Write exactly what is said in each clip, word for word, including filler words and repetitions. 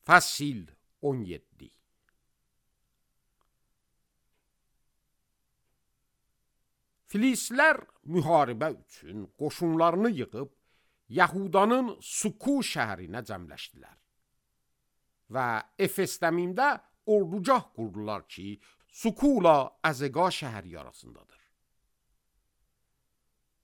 Fəsil on yeddi. Filistlər müharibə üçün qoşunlarını yığıb Yahudanın Suku şəhərinə cəmləşdilər və Efesdəmində ordugah qurdular ki, Sukula Əzəqa şəhəri arasındadır.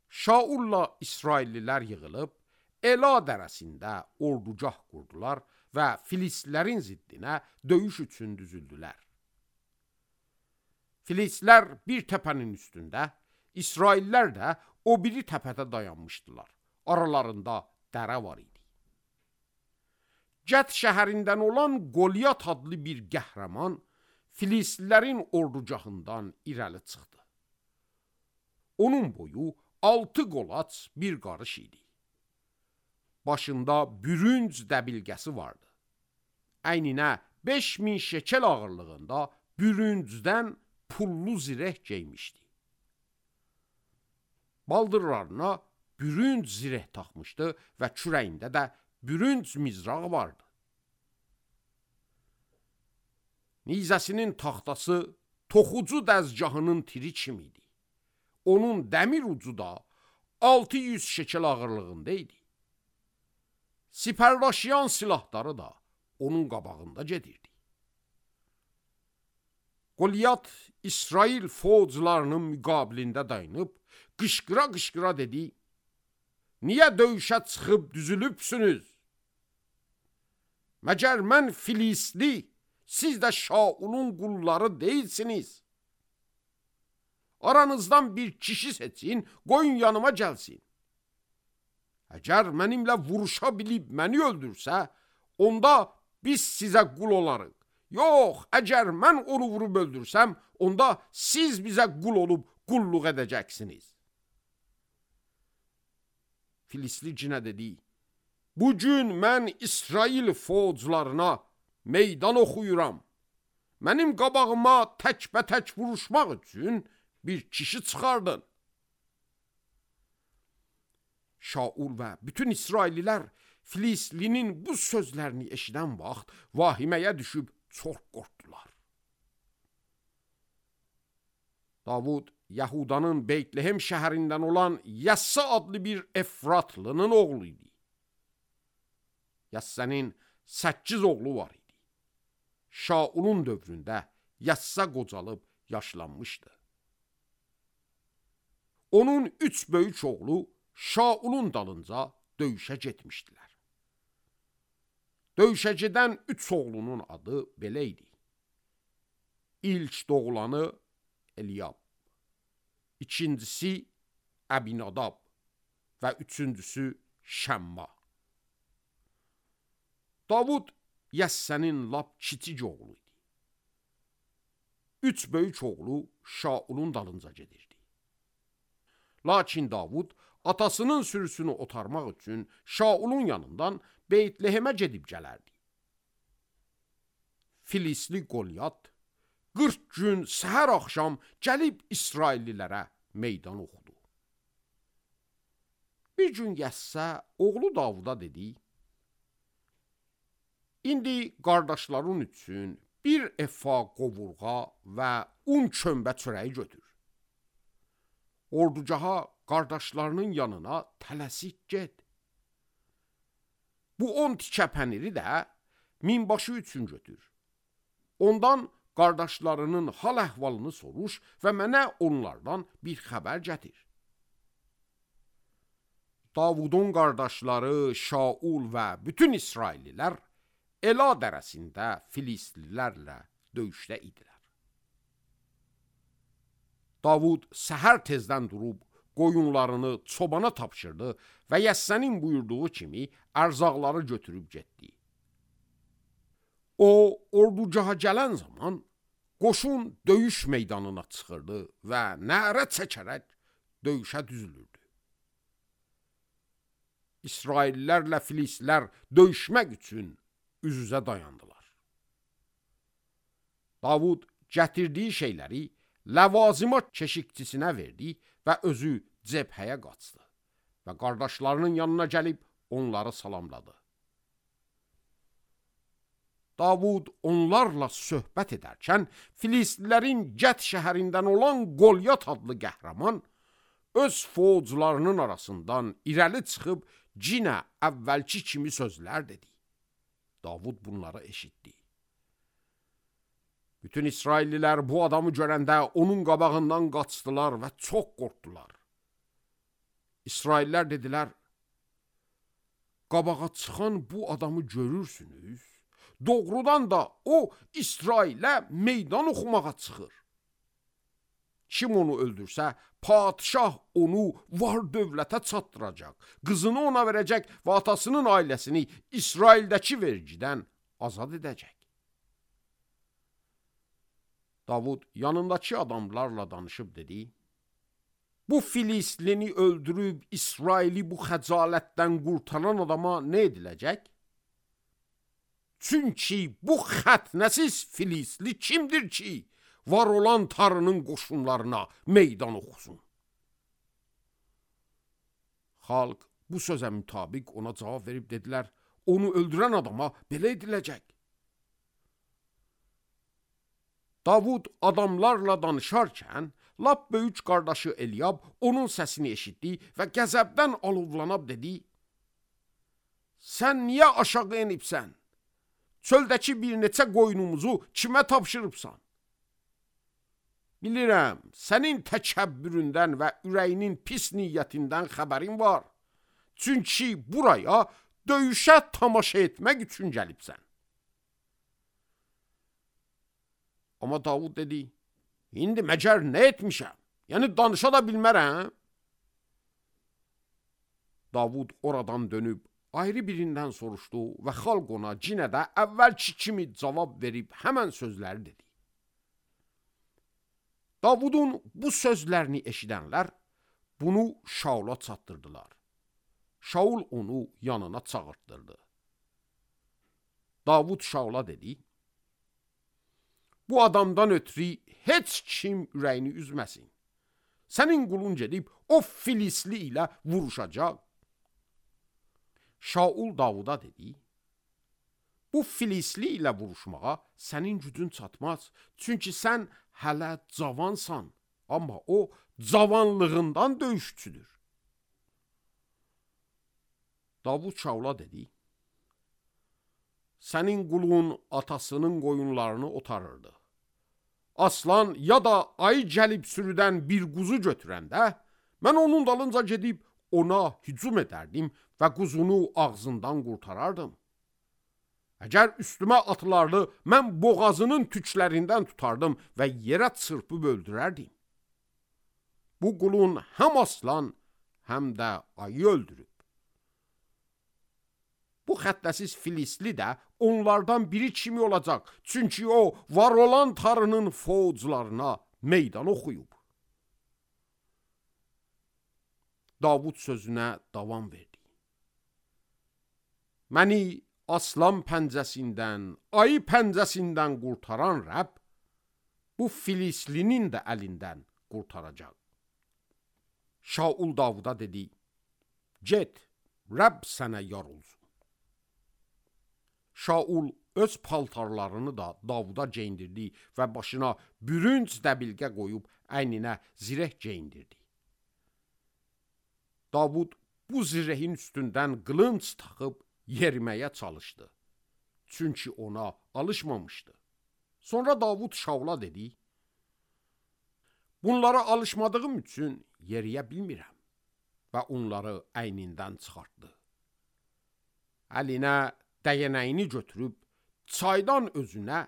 Şaulla İsraillilər yığılıb Ela dərəsində ordugah qurdular və Filistlərin ziddinə döyüş üçün düzüldülər. Filistlər bir təpənin üstündə, İsraillər də o biri təpədə dayanmışdılar. Aralarında dərə var idi. Cət şəhərindən olan Qolyat adlı bir qəhrəman Filistlərin ordugahından irəli çıxdı. Onun boyu altı qolaç bir qarış idi. Başında bürünc dəbilgəsi vardı. Əyninə beş min şekel ağırlığında bürüncdən pullu zireh geymişdi. Baldırlarına bürünc zireh taxmışdı və kürəyində də bürünc mizrağı vardı. Nizəsinin taxtası toxucu dəzgahının tiri kimiydi. Onun dəmir ucu da altı yüz şekel ağırlığında idi. Sipərdaşıyan silahları da onun qabağında gedirdi. Qolyat İsrail fozlarının müqabilində dayanıb, qışqıra-qışqıra dedi, "Niyə döyüşə çıxıb düzülübsünüz? Məgər mən Filistli, siz də Şaulun qulları deyilsiniz. Aranızdan bir kişi seçin, qoyun yanıma gəlsin. Əgər mənimlə vuruşa bilib məni öldürsə, onda biz sizə qul olarıq. Yox, əgər mən onu vurub öldürsəm, onda siz bizə qul olub qulluq edəcəksiniz." Filistli cinə dedi, "Bugün mən İsrail fozlarına meydan oxuyuram. Mənim qabağıma təkbətək vuruşmaq üçün bir kişi çıxardın." Şaul və bütün İsraililər Filistlinin bu sözlərini eşidən vaxt vahiməyə düşüb çox qorxdular. Davud Yahudanın Beytlehem şəhərindən olan Yəssa adlı bir Efratlının oğlu idi. Yəssənin səkkiz oğlu var idi. Şaulun dövründə Yəssa qocalıb yaşlanmışdı. Onun üç böyük oğlu Şaulun dalınca döyüşə getmişdilər. Döyüşə gedən üç oğlunun adı belə idi. İlk doğulanı Eliyab, ikincisi Əbinadab və üçüncüsü Şəmma. Davud Yəssənin lap kiçik oğlu idi. Üç böyük oğlu Şaulun dalınca gedirdi. Lakin Davud atasının sürüsünü otarmaq üçün Şaulun yanından Beytlehemə gedib gələrdi. Filistli Qolyat qırx gün səhər axşam gəlib İsraillilərə meydan oxudu. Bir gün Yəssə oğlu Davuda dedi, "İndi qardaşların üçün bir efa qovurğa və un kömbə çörəyi götür. Ordugaha qardaşlarının yanına tələsik get. Bu on tikə pəniri də minbaşı üçün götür. Ondan qardaşlarının hal əhvalını soruş və mənə onlardan bir xəbər gətir." Davudun qardaşları Şaul və bütün İsraillilər Ela dərəsində Filistlilərlə döyüşdə idilər. Davud səhər tezdən durub qoyunlarını çobana tapşırdı və Yəssənin buyurduğu kimi ərzaqları götürüb getdi. O, ordugaha gələn zaman qoşun döyüş meydanına çıxırdı və nərə çəkərək döyüşə düzülürdü. İsraillərlə Filistlər döyüşmək üçün üz-üzə dayandılar. Davud gətirdiyi şeyləri ləvazimat keşikçisinə verdi və özü cəbhəyə qaçdı və qardaşlarının yanına gəlib onları salamladı. Davud onlarla söhbət edərkən Filistlilərin Gət şəhərindən olan Qolyat adlı qəhrəman öz fozlarının arasından irəli çıxıb cinə əvvəlki kimi sözlər dedi. Davud bunları eşitdi. Bütün İsraillilər bu adamı görəndə onun qabağından qaçdılar və çox qorxdular. İsraillər dedilər, qabağa çıxan bu adamı görürsünüz, doğrudan da o İsrailə meydan oxumağa çıxır. Kim onu öldürsə, padişah onu var dövlətə çatdıracaq, qızını ona verəcək və atasının ailəsini İsraildəki vergidən azad edəcək. Davud yanındakı adamlarla danışıb dedi, bu Filistlini öldürüb İsraili bu xəcalətdən qurtaran adama nə ediləcək? Çünki bu xətnəsiz Filistli kimdir ki, var olan Tanrının qoşunlarına meydan oxusun? Xalq bu sözə mütabiq ona cavab verib dedilər, onu öldürən adama belə ediləcək. Davud adamlarla danışarkən, lap böyük qardaşı Eliyab onun səsini eşitdi və qəzəbdən alovlanıb dedi, sən niyə aşağı enibsən? Çöldəki bir neçə qoyunumuzu kimə tapşırıbsan? Bilirəm, sənin təkəbbüründən və ürəyinin pis niyyətindən xəbərin var. Çünki buraya döyüşə tamaşa etmək üçün gəlibsən. Amma Davud dedi, indi məcər nə etmişəm? Yəni danışa da bilmərəm. Davud oradan dönüb ayrı birindən soruşdu və xalq ona cinə də əvvəlki kimi cavab verib həmən sözləri dedi. Davudun bu sözlərini eşidənlər bunu Şaula çatdırdılar. Şaul onu yanına çağırtdırdı. Davud Şaula dedi, bu adamdan ötürü heç kim ürəyini üzməsin. Sənin qulun gedib o Filistli ilə vuruşacaq. Şaul Davuda dedi, bu Filistli ilə vuruşmağa sənin gücün çatmaz. Çünki sən hələ cavansan, amma o cavanlığından döyüşçüdür. Davud Şaula dedi, sənin qulun atasının qoyunlarını otarırdı. Aslan ya da ayı gəlib sürüdən bir quzu götürəndə, mən onun dalınca gedib ona hücum edərdim və quzunu ağzından qurtarardım. Əgər üstümə atılardı, mən boğazının tüklərindən tutardım və yerə çırpıb öldürərdim. Bu qulun həm aslan, həm də ayı öldürüb. Bu xəttəsiz Filistli də onlardan biri kimi olacaq. Çünki o, var olan Tanrının fozlarına meydan oxuyub. Davud sözünə davam verdi. Məni aslan pəncəsindən, ayı pəncəsindən qurtaran Rəbb, bu Filistlinin də əlindən qurtaracaq. Şaul Davuda dedi, get, Rəbb sənə yar olsun. Şaul öz paltarlarını da Davuda geyindirdi və başına bürünc dəbilqə qoyub əyninə zireh geyindirdi. Davud bu zirehin üstündən qılınc taxıb yeriməyə çalışdı. Çünki ona alışmamışdı. Sonra Davud Şaula dedi, bunlara alışmadığım üçün yeriyə bilmirəm və onları əynindən çıxartdı. Əlinə dəyənəyini götürüb, çaydan özünə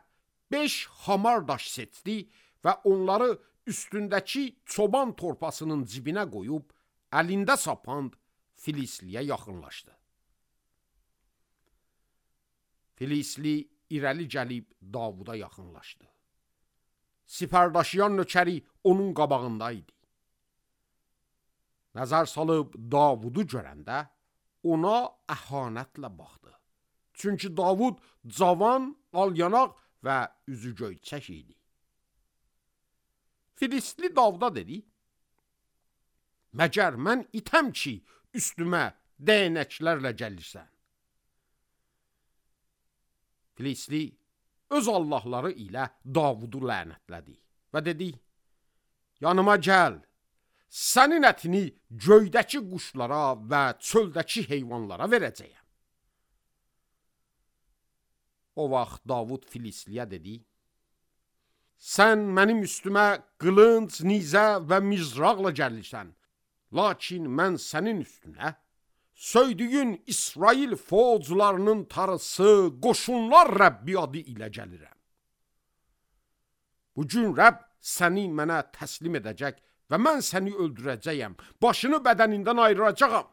beş hamar daş seçdi və onları üstündəki çoban torpasının cibinə qoyub, əlində sapand Filistliyə yaxınlaşdı. Filistli irəli gəlib Davuda yaxınlaşdı. Sipərdaşıyan nökəri onun qabağında idi. Nəzər salıb Davudu görəndə ona əhanətlə baxdı. Çünki Davud cavan, alyanaq və üzü göyçək idi. Filistli Davuda dedi, məgər mən itəm ki, üstümə dəyənəklərlə gəlirsən. Filisli öz Allahları ilə Davudu lənətlədi və dedi: yanıma gəl, sənin ətini göydəki quşlara və çöldəki heyvanlara verəcəyəm. O vaxt Davud Filisliyə dedi: sən mənim üstümə qılınc, nizə və mizraqla gəlirsən, lakin mən sənin üstünə söydüyün İsrail fozlarının tarısı, qoşunlar Rəbbi adı ilə gəlirəm. Bugün Rəbb səni mənə təslim edəcək və mən səni öldürəcəyəm, başını bədənindən ayıracağam.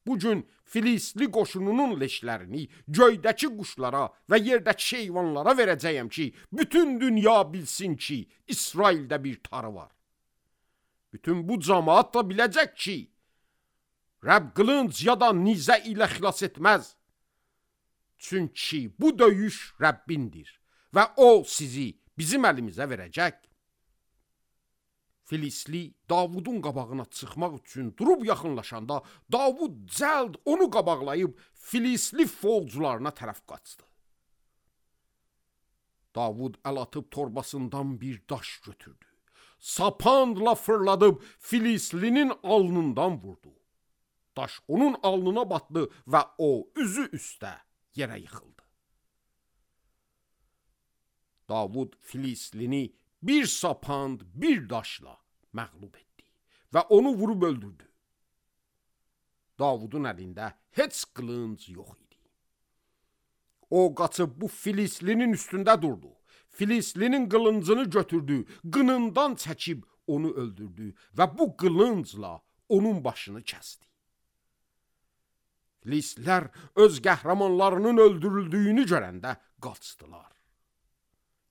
Bugün Filistli qoşununun leşlərini göydəki quşlara və yerdəki heyvanlara verəcəyəm ki, bütün dünya bilsin ki, İsraildə bir tarı var. Bütün bu cəmaat da biləcək ki, Rəbb qılınc ya da nizə ilə xilas etməz. Çünki bu döyüş Rəbbindir və o sizi bizim əlimizə verəcək. Filistli Davudun qabağına çıxmaq üçün durub yaxınlaşanda Davud cəld onu qabaqlayıb Filistli fozlarına tərəf qaçdı. Davud əl atıb torbasından bir daş götürdü. Sapandla fırladıb Filistlinin alnından vurdu. Daş onun alnına batdı və o üzü üstə yerə yıxıldı. Davud Filistlini bir sapand, bir daşla məğlub etdi və onu vurub öldürdü. Davudun əlində heç qılınc yox idi. O qaçıb bu Filistlinin üstündə durdu. Filistlinin qılıncını götürdü, qınından çəkib onu öldürdü və bu qılıncla onun başını kəsdi. Filistlilər öz qəhrəmanlarının öldürüldüyünü görəndə qaçdılar.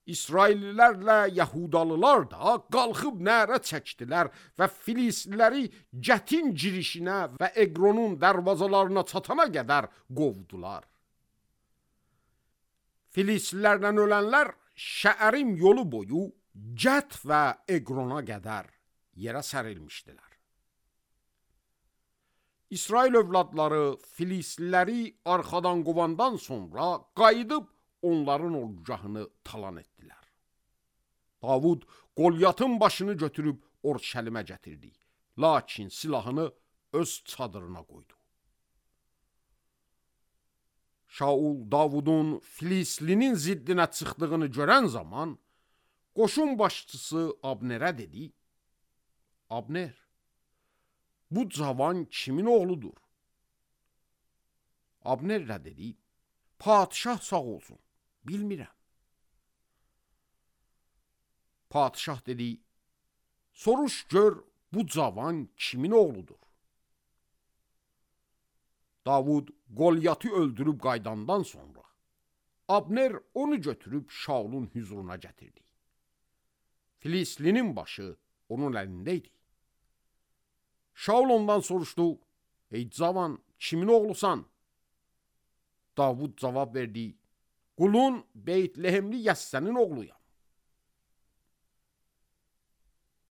İsraillilərlə Yahudalılar da qalxıb nərə çəkdilər və Filistliləri Gətin girişinə və Eqronun dərvazalarına çatana qədər qovdular. Filistlilərlə ölənlər Şəərim yolu boyu Gət və Eqrona qədər yerə sərilmişdilər. İsrail övladları Filistliləri arxadan qovandan sonra qayıdıb onların ordugahını talan etdilər. Davud Qolyatın başını götürüb Orşəlimə gətirdi, lakin silahını öz çadırına qoydu. Şaul Davudun Filistlinin ziddinə çıxdığını görən zaman qoşun başçısı Abnerə dedi: Abner, bu cavan kimin oğludur? Abner də dedi: Padişah sağ olsun, bilmirəm. Padişah dedi: soruş gör bu cavan kimin oğludur? Davud Qolyatı öldürüb qaydandan sonra Abner onu götürüb Şaulun hüzuruna gətirdi. Filistlinin başı onun əlində idi. Şaul ondan soruşdu: ey cavan, kimin oğlusan? Davud cavab verdi: qulun Beytlehemli Yəssənin oğluyam.